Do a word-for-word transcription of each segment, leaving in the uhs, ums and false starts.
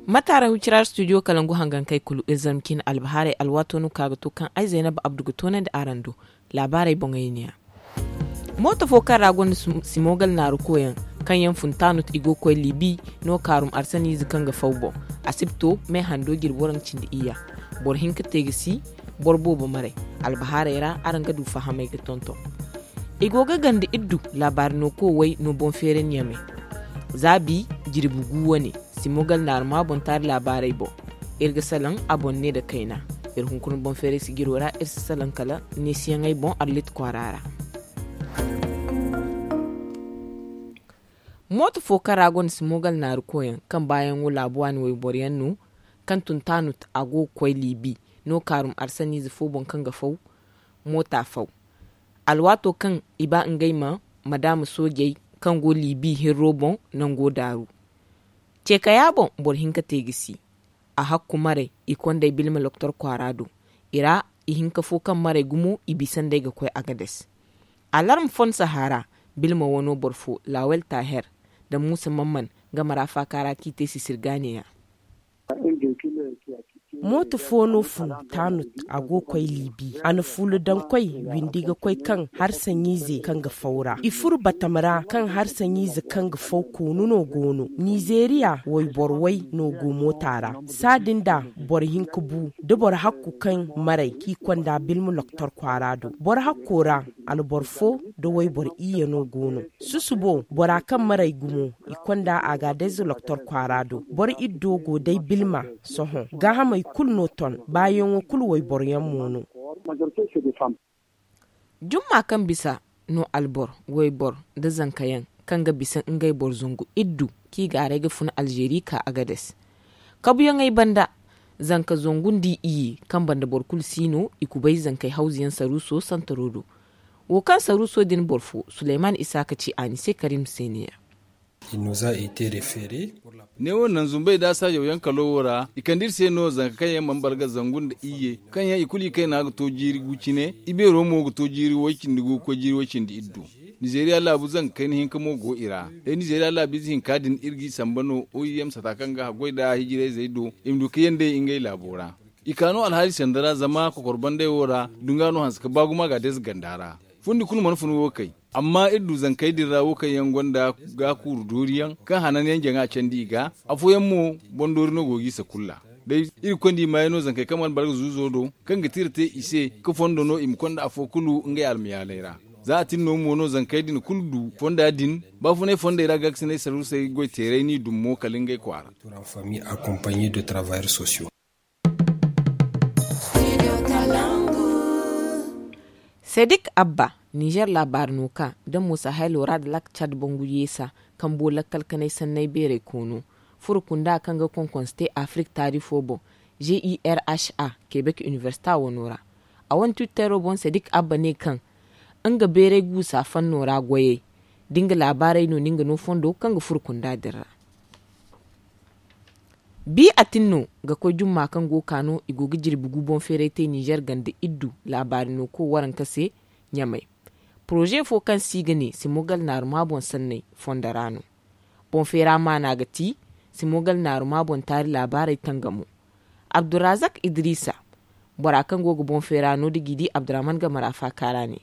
Mataara hucira studio kalangu hangankey kulu iri zarma ciine albahaarey alwaato no ka ga to kaŋ ay zaynaba abdu ga toonandi araŋ do. Laabaarey boŋey neeya. Mooto fo kaŋ ra gonda simogal naaru koyaŋ kaŋ yaŋ fun taanut i go ga koy libi no kaarum arsaniize kaŋ ga faw boŋ. Asibto me hando jirbi waranka cindi iyya. Boro hinka te ga si boro boobo maray. Albahaarey ra araŋ ga du fahamey ga tonton. I go ga ganda iddu laabaari no koowey no boŋ feeray nyamey. Zaabi jirbi gu wane. Simogal naaruma boŋ taari laabaarey boŋ. Iri ga salaŋ a boŋ ne nda kayna. Iri hunkuna boŋ feeray sijiro ra iri si salaŋ kala neesiyaŋey boŋ arlit kwaara ra. Mooto fo kaŋ ra gonda simogal naaru koyaŋ kaŋ baayaŋo laabu waani wayboro yaŋ no kaŋ tun taanut a go ga koy liibi no kaarum arsaniize fo boŋ kaŋ ga faw. Moota faw alwaato kaŋ i ba ngey ma madaama soojey kaŋ go liibi hirro boŋ nango daaru. Ceekaya boŋ boro hinka te ga si. A hakku maray i kondey bilma loktor kwaara do. I ra i hinka fo kaŋ maray gumo i bisa nd'ey ga koy agades. Alarma fon sahaara bilma wano boro fo lawel taher nda muusa mamman game ra faaka ra kaŋ i te sisirgaaneyaŋ. Mooto fo no fun taanut a go ga koy liibi a na fuula daŋ koy windi ga koy kaŋ harsaɲiize kaŋ ga faw ra i furo batama ra kaŋ harsaɲiize kaŋ ga faw koonu no go no nizeeriya wayboro way no go moota ra. Saadin da boro hinka bu da boro hakku kaŋ maray kaŋ i konda bilma loktor kwaara do boro hakko ra. Alboro fo nda wayboro iyye no go no. Susubo bora kaŋ maray gumo i konda agadez loktor kwaara do boro iddo go day bilma. Sohõ gaahamey kulu no ton baayaŋo kulu wayboro yaŋ mo no. Jumma kaŋ bisa no albor waybor nda zankayaŋ kaŋ ga bisa ngey boro zangu iddu kaŋ i gaaray ga fun alzeeri ka agades. Kabuyaŋey banda zanka zangu nda i iyye kaŋ banda boro kulu si no i kubay zankey hawzuyaŋ saruuso santaro do. Wo kaŋ saruuso din boro fo suleyman isaaka ci a ni se karim se ne ya. Neewo naŋ zumbey da saajawyaŋ kalo wo ra i kande iri se no zanka kaŋ yaŋ mana balga zangu nda iyye kaŋ yaŋ i kulu i kayna ga to jiiri gu cine. I beero mo ga to jiiri way-cindi gu ga koy jiiri way-cindi iddu. Nizeeriya laabu zanka kayna hinka mo go i ra. Day nizeeriya laabiize hinka din iri g'i samba no oim sata kaŋ ga haggoy nda hijirayzey do i ma du ka yandey ngey laabo ra. I ka no alhaali sanda ra zama kokor bandey wo ra dunga no hanse ka ba gumo a ga deeza ganda ra. Fundi kulu mana fun wo kay. Amma iri du zankey din ra wo kaŋ yaŋ gonda gaakuuru dooriyaŋ kaŋ hanan yaŋ jaŋa candi i ga. Afooyaŋ mo, bondoori no go ga i sakulla. Day iri ga konda i maayey no zankey kaŋ mana balga zuuzo do kaŋ ga tira te i se ka fondo no i ma konda afo kulu ngey almayaaley ra. Za a tin no mo no zankey din kulu du fonda din. Baafunay fondey ra gaakasinay saruusey goy teeray n'i dum mo kala ngey kwaara. Sedik abba nizer laabaari no ka nda muusa haylo ra nda lak cad bangu yeesa kambo lakkal kanay sannay beeray koono. Furo kunda kaŋ ga konkonse te afirik taari fo boŋ, g i r h a, kebek iniversita wano ra. A wane twittero boŋ sedik abba ne kaŋ nga beeray guusa fanno ra goyey da nga laabaarey no no nga no fondo kaŋ ga furo kunda din ra. Bi a tin no ga koy jumma kaŋ go ga ka no i go ga jirbi gu boŋ feeray te nizer ganda iddu laabaari no ko waranka se. Ɲamay poroze fo kaŋ se i ga ne simogal naaruma boŋ sanney fondo ra no. Boŋ feera maana ga ti simogal naaruma boŋ taari laabaarey tangamo. Abdurazak idrisa bora kaŋ go ga boŋ feera no da g'i di abdurahman game ra faaka ra ne.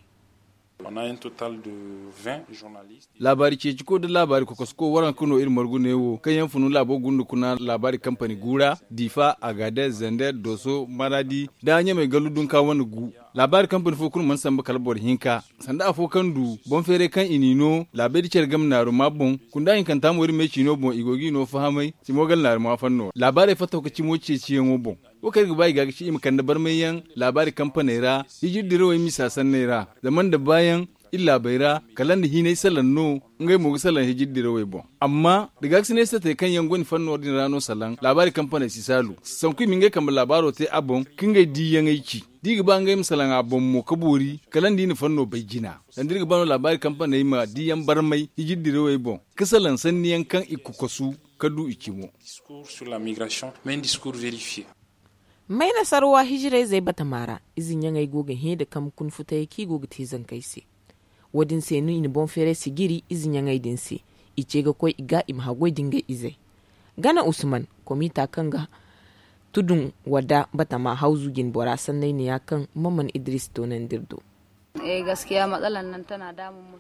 Laabaari ceeciko nda laabaari kokosko waranka no iri margu ne wo kaŋ yaŋ funu laabo gunda kuna laabaari kampani gu ra, difa, agadez, zander, doso, maradi, nda ɲamey gallu dunka wane gu. Laabaari kampani fo kulu mana samba kala boro hinka. Sanda afo kaŋ du boŋ feeray kaŋ i n'i no laabey da care game naaruma boŋ. Kunda hinkanta mo iri me ciino boŋ i go g'i no fahamay simogal naaruma fanno ra laabaarey fattaw ka cimo ceeciyaŋo boŋ. Wo kaŋ iri ga ba i ga ga ci i ma kande barmayyaŋ laabaari kampaney ra hijir dirawey misa sanney ra. Zama nda baayaŋ iri laabey ra kala nda hinay salaŋ no. Ngey mo ga salaŋ hijir dirawey boŋ. Amma da gaakasinay satey kaŋ yaŋ go ni fanno din ra no salaŋ laabaari kampaney si saalu sanku i ma ngey kambe laabaaro te a boŋ ka ngey diiyaŋey ci. Da i ga ba ngey ma salaŋ a boŋ mo ka boori kala nda i na fanno bay jina. Sanda iri ga ba no laabaari kampaney ma diiyaŋ barmay hijir dirawey boŋ ka salaŋ sanniyaŋ kaŋ i kokosu ka du i cimo. Mayna sarwa hijirayzey batama ra ize ɲaŋey go ga hẽ da kambe kuna futayey kaŋ i go ga te zankey se. Wo- din se no i na boŋ feeray sijiri ize ɲaŋey din se. I ce ga koy i ga i ma haggoy da ngey izey. Gana usman, komita kaŋ ga tudun wadda batama hawzu jine bora sanney neeya kaŋ maman idris toonandi iri do.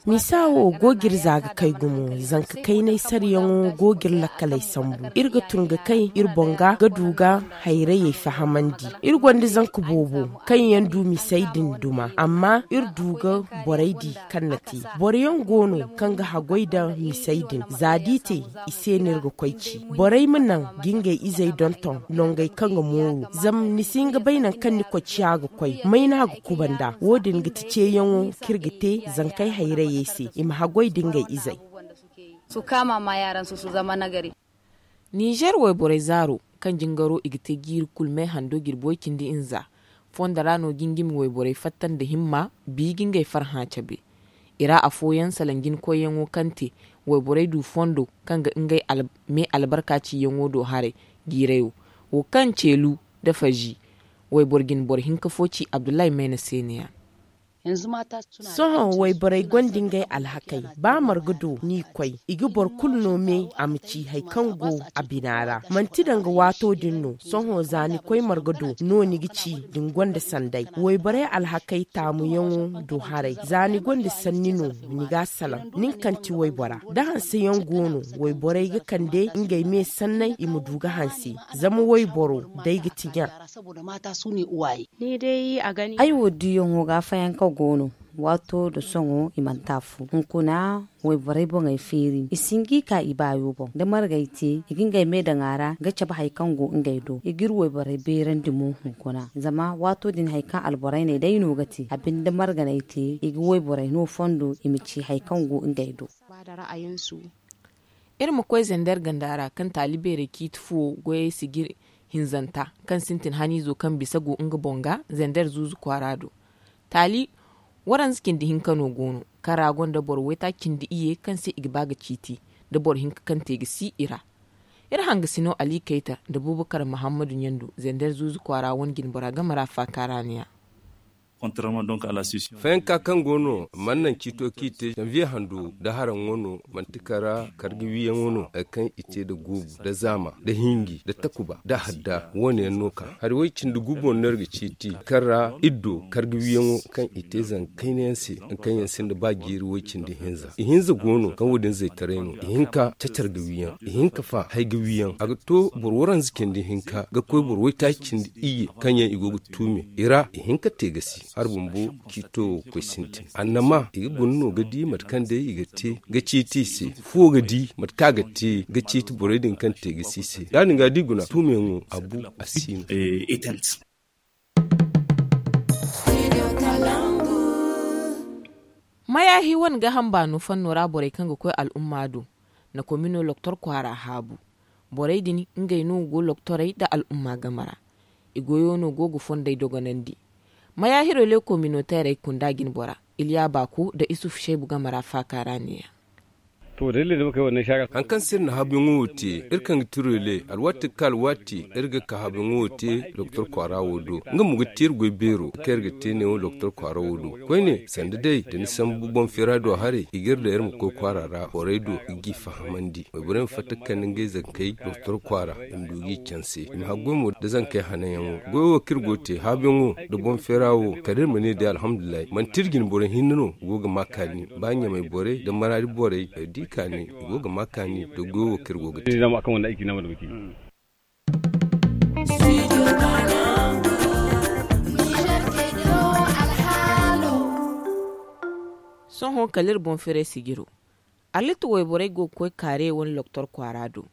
Misa wo go ga iri za ga kay gumo, zanka kaynay saryaŋo go ga iri lakkaley sambu. Iri ga tun ga kay iri boŋ ga ga du ga hayrayey fahamandi. Iri gonda zanka boobo kaŋ yaŋ du misey din duma, amma iri du ga borey di kaŋ na te. Boro yaŋ go no kaŋ ga haggoy nda misey din za da i te, i se no iri ga koy ci. Borey ma naŋ ga ngey izey donton nongey kaŋ ga mooru, zama ni si hin ga bay nangu kaŋ ni koy ciya ga koy may no a ga kuba nd'a. Wo- din ga ti ceeyaŋo kaŋ iri ga te zankey hayrayey se, i ma haggoy nda ngey izey. Ninzeer wayborey zaaro kaŋ jingaro i ga te jiiri kulu me hando jirbi way cindi hinza, fondo ra no jingimi wayborey fatta nda himma bi ga ngey farhã cabe. I ra afooyaŋ salaŋ jina koyyaŋo kaŋ te wayborey du fondo kaŋ ga ngey me albarka ciyaŋo do haray. Jiirayo wo kaŋ ceelu nda fazi wayboro jine boro hinka fo ci abdullahi mayna se ne- ya. Sohõ wayborey gonda ngey alhakey. Ba marga do ni koy, i ga boro kulu no me a ma ci hari kaŋ go a bina ra. Manti danga waato din no. Sohõ za ni koy marga do no ni ga ci da ni gonda sanday. Wayborey alhakey taamuyaŋo do haray za ni gonda sanni no, ni ga a salaŋ nin kaŋ ti waybora. Da hanseyaŋ go no, wayborey ga kande ngey me sanney i ma du ga hanse. Zama wayboro day ga ti ɲa. Ay wo diyaŋo ga fayanka go no. Waato nda sohõ i mana te afo hunkuna. Wayborey boŋey feeri i si hin ga i ka i baayo boŋ da margey te i ga ngey me daŋ a ra ga cabe hari kaŋ go ngey do i ga iri wayborey beerandi mo hunkuna. Zama waato din hari kaŋ alborey ne day no ga te a binde marganey te i ga wayborey no fondo i ma ci hari kaŋ go ngey do. Iri ma koy zander ganda ra kaŋ taali beerey ciiti fuwo goyey sijir hinzanta kaŋ sintin haniizo kaŋ bisa go nga boŋ ga zander zuuzu kwaara do. Taali waranza cindi hinka no go no kaŋ ra gonda boro waytaaci cindi iyye kaŋ se i ga ba ga ciiti nda boro hinka kaŋ te ga si i ra. Iri hangasino ali kayta nda bubakar mahammadu ɲandu zander zuuzu kwaara wane jinbora game ra faaka ra ne- ya. Fayanka kaŋ go no mana naŋ ciito kaŋ i te janviye hando nda haraŋo no manti kara karga wiyaŋo no hari kaŋ i te nda guubu nda zaama nda hinji nda takuba nda hadda wo- ne yaŋ no ka hari way- cindi guubu no no iri ga ciiti kaŋ ra iri do karga wiyaŋo kaŋ i te zanka kayna yaŋ se hari kaŋ yaŋ sinda ba jiiri way- cindi hinza i hinza go no kaŋ wo- din zaytaray no i hin ka cacar ga wiyaŋ i hin ka fa hari ga wiyaŋ a ga to boro waranza cindi hinka ga koy boro waytaaci cindi iyye kaŋ yaŋ i go ga tuume i ra i hin ka te ga si hari bumbo ciito wo ga koy sintin annama i ga guna no ga di mate kaŋ day i ga te ga ciiti i se fuwo ga di mate kaŋ a ga te ga ciiti borey din kaŋ te ga si i se ya- din ga da i guna tuumeyaŋo a bu a si no. Mayaahi wane gaaham baano fanno ra borey kaŋ ga koy al'umma do na komino loktor kwaara haabu. Borey din ngey no go loktorey nda al'umma game ra. I goyo no go ga fondey dogonandi. Mayaahiro le kominoteerey kunda jinbora iliya baako nda isuf seebu game ra faaka ra ne- ya. Hari kaŋ se iri na haabuyaŋo wo te iri kaŋ ga ti rele alwaati ga ka alwaati iri ga ka haabuyaŋo wo te doktor kwaara wo do. Nga mo ga te iri goy beero kaŋ iri ga te neewo doktor kwaara wo do. Koyne sanda day da ni sambu boŋ feera do haray i ga iri daŋ iri ma koy kwaara ra borey do i g'i fahamandi wayborey ma fatta ga kande ngey zankey doktor kwaara i ma du g'i canse i ma haggoy mo nda zankey hananyaŋo. Goyo wo kaŋ iri go ga te haabuyaŋo nda boŋ feera wo kala iri ma ne day alhamdulillahi manti iri jine boro hinne no go ga ma kaani ba ɲamay borey nda maraadi borey ay di kaani i go ga ma kaani nda goyo wo kaŋ iri go ga te. Sohõ kala iri boŋ feeray sijiro. Allitta wayborey go ga koy kaare wane loktor kwaara do.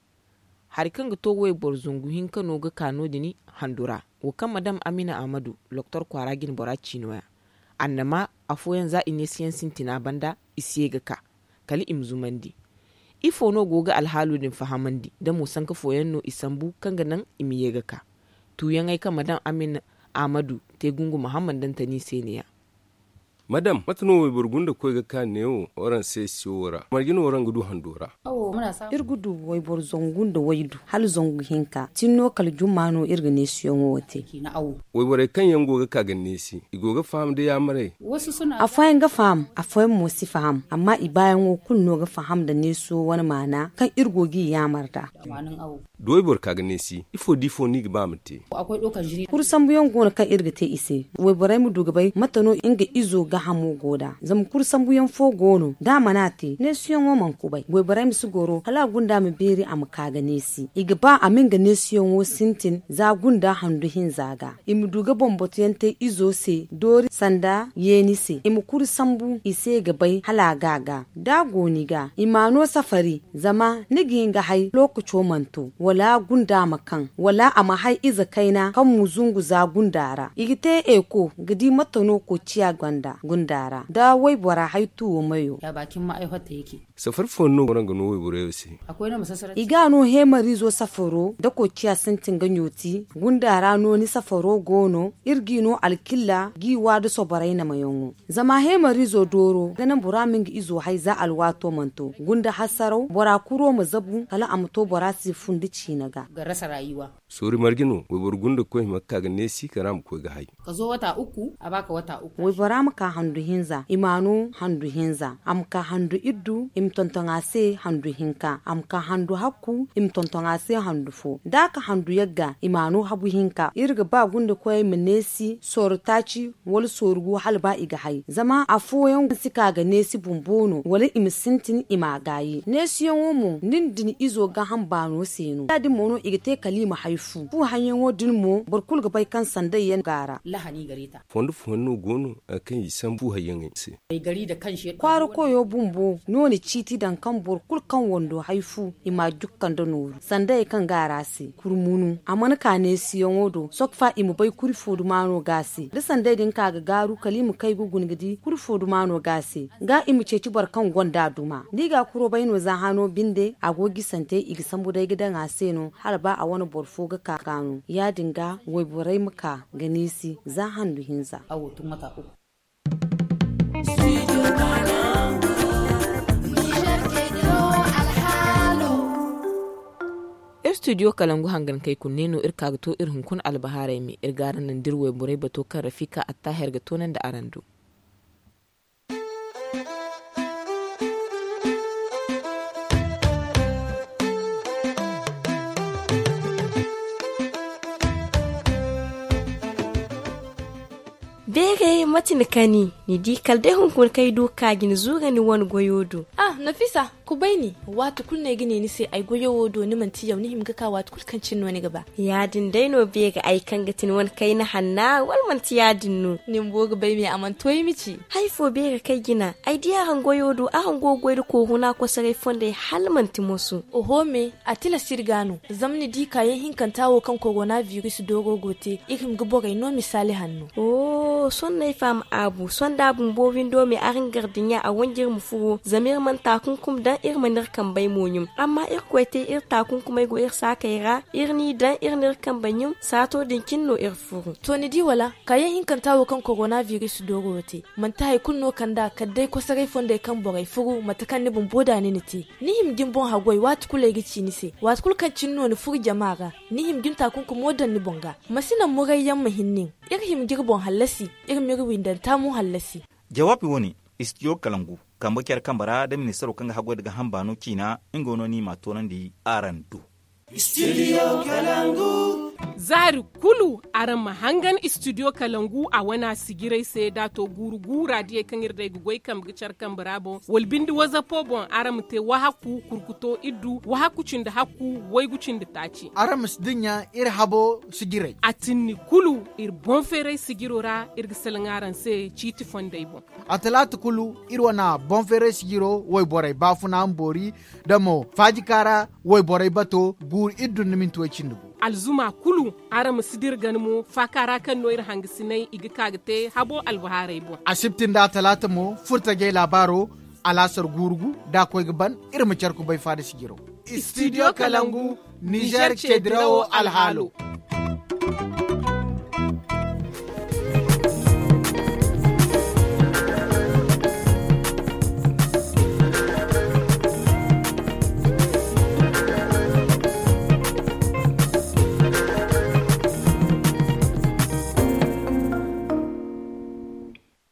Hari kaŋ ga to wayboro zangu hinka no ga ka no- din handu ra. Wo kaŋ madam amina ahmadu loktor kwaara jinbora ci no- ya. Annama afooyaŋ za i neesiyaŋ sintina banda i si ye ga ka kala i ma zumandi. Ifo no go ga alhaalo din fahamandi da mo sanka fooyaŋ no i sambu kaŋ ga naŋ i ma ye ga ka? Tuuyaŋey kaŋ madam amina ahmadu te gungu mahammad dantani se ne- ya. Madam, mate no wayboro gunda koy ga ka neewo waranse siyo ra? Marje no waraŋ ga du hando ra? Iri ga du wayboro zangu nda waydu hala zangu hinka tin no kala jumma no iri ga neesiyaŋo wo te. Wayborey kaŋ yaŋ go ga ka ga neesi, i go ga faham da yaamarey? Afooyaŋ ga faham, afooyaŋ mo si faham, amma i baayaŋo kulu no ga faham nda neesiyo wane maana kaŋ iri go g'i yaamar nd'a. Da wayboro ka ga neesi, ifo da ifo no i ga ba a ma te? Kuri sambuyaŋ go no kaŋ iri ga te i se. Wayborey ma du ga bay mate no nga izo gaahamo go nd'a. Zama kuri sambuyaŋ fo go no da a mana te neesiyaŋo mana kubay. Wayborey ma si goro hala a gunda ma beeri a ma ka ga neesi. I ga ba a ma nga neesiyaŋo sintin za gunda handu hinza ga. I ma du ga bambatuyaŋ te izo se doori sanda yeeni se i ma kuri sambu i se ga bay hala a ga a ga. Da a go ni ga i ma a no safari zama ni ga hin ga hay lookaco mana to wala gunda ma kaŋ wala a ma hay ize kayna kaŋ ma zungu za gunda ra i ga te eeko ga di mate no koociya gonda gunda ra da waybora hay tuwo mayo. Safari fooyaŋ no go no nga no wayborey wo se. I ga a no heemariizo safaro da koociya sintin ga ɲooti. Gunda ra no ni safaro go no iri g'i no alkilla g'i wa da soborey namayaŋo. Zama heemariizo dooro ga naŋ bora ma nga izo hay za alwaato mana to gunda hasaraw bora kuro ma zabu kala a ma to bora se fundi ciine ga. Soori marje no wayboro gunda koy hima ga ka ga neesi kala a ma koy ga hay. Waybora ma ka handu hinza i ma a no handu hinza a ma ka handu iddu i ma tonton a se handu hinka a ma ka handu hakku i ma tonton a se handu fo da a ka handu yagga i ma a no habu hinka iri ga ba gunda koyey ma neesi sooru taaci wala sooru gu hala ba i ga hay zama afooyaŋ si ka ga neesi bumbo no wala i ma sintin i ma a gaayi neesiyaŋo mo nin da ni izo gaaham baano se no ya- din mo no i ga te kala i ma hay fu fu hayyaŋo din mo boro kulu ga bay kaŋ sanday yaŋ go a ra. Fondo fooyaŋ no go no kaŋ i sambu hayyaŋey se. Kwaara koyo bumbo no na ciiti daŋ kaŋ boro kulu kaŋ wando hay fu i ma a jukka nda nooru sanda hari kaŋ go a ra se kurmunu a mana ka neesiyaŋo do sokfa i ma bay kuri fo duma no go a se da sanday din ka ga gaaru kala i ma kay ga guna ga di kuri fo duma no go a se ga i ma ceeci boro kaŋ gonda duma da i ga a kuro bay no za hano binde a go gisante i ga sambu day ga daŋ a se no hala ba a wane boro fo ga ka ga no ya- din ga wayborey ma ka ga neesi za handu hinza. Iri studio kalangu hangankey kulu ne no iri ka ga to iri hunkuna albahaarey me iri ga araŋ naŋ da iri wayborey bato kaŋ rafika attaher ga toonandi araŋ do. Beeray mate ni kani ni di kala day hunkuna kaŋ ay du ga ka ga ni zuura ni wane goyo do. Ah, nafisa, kubay ni. Waati kulu no ay ga ne ni se ay goyo wo do ni manti yaw ni hima ga ka waati kulu kaŋ cine no ni ga ba. Ya- din day no beeray ay kaŋ ga ti ni wane kayna hanna wala manti ya- din no? Ni bumbo ga bay me a mana to ay ma ci. Hari fo beeray kaŋ ay jina ay di araŋ goyo do araŋ go ga goy nda kooruna kosoray fondey hala manti moso. Oho me, a tilas iri ga no. Zama ni di kaayaŋ hinkanta wo kaŋ korona biris dooro go te iri hima ga borey no misaali hanno. Sohõ no ay faham aabu sohõ da a bumbo windo me araŋ gardiɲa a wanji iri ma furo zama iri mana taakunkum daŋ iri mana iri kambey mo ɲum. Amma irkoy te iri taakunkumey go iri saakey ra iri n'i daŋ iri n'iri kambey ɲum saato din cine no iri furu. To ni di wala kaayaŋ hinkanta wo kaŋ korona biris dooro wo te manti hari kulu no kand'a kala day kosoray fondey kaŋ borey furu mate kaŋ ni bumbo da ni na te. Ni hima ga ni boŋ haggoy waati kulu ay ga ci ni se waati kulu kaŋ cine no ni furo jama ra. Ni hima ga ni taakunkumo daŋ ni boŋ ga. Ma si naŋ murayyaŋ ma hin nin. Iri hima ga iri boŋ hallasi. Iri m'iri windanta mo hallasi. Jawaabi wo- ne istidiyo kalangu kambe care kambe ra da ministaro kaŋ ga haggoy nda gaaham baano ciina nga no ni m'a toonandi araŋ do. Zaari kulu araŋ ma hangan istidiyo kalangu a wane a sijiray se da a to guuru guura diyey kaŋ iri day ga goy kambe ga care kambe ra boŋ wala binde wazapo boŋ araŋ ma te wahakku kurkuto iddu wahakku cindi hakku waygu cindi taaci. Araŋ ma si dinya iri habo sijiray a tinni kulu iri boŋ feeray sijiro ra iri ga salaŋ araŋ se ciiti fondey boŋ. A talaata kulu iri wane boŋ feeray sijiro wayborey baafuna ma boori da mo faajika ra wayborey bato guuru iddu nda minti way cindi gu. Alzuma kulu araŋ ma si dira gana mo faaka ra kaŋ no iri hangasiney i ga ka ga te habo albahaarey boŋ. Asibti nda atalaata mo furtajey laabaaro alaasar guuru gu da a koy ga ban iri ma care kubay faada sijiro. Istidiyo kalangu nizer ceedirawo alhaalo.